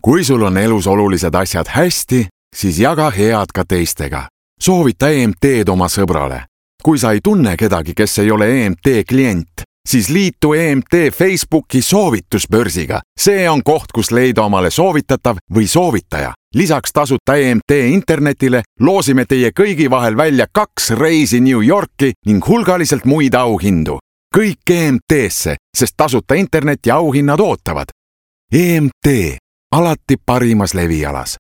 kui sul on elus olulised asjad hästi, siis jaga head ka teistega. Soovita EMT-d oma sõbrale. Kui sa ei tunne kedagi, kes ei ole EMT klient, siis liitu EMT Facebooki soovitusbörsiga. See on koht, kus leida omale soovitatav või soovitaja. Lisaks tasuta EMT internetile loosime teie kõigi vahel välja 2 reisi New Yorki ning hulgaliselt muid auhindu. Kõik EMT-sse, sest tasuta internet ja auhinnad ootavad. EMT, alati parimas levialas.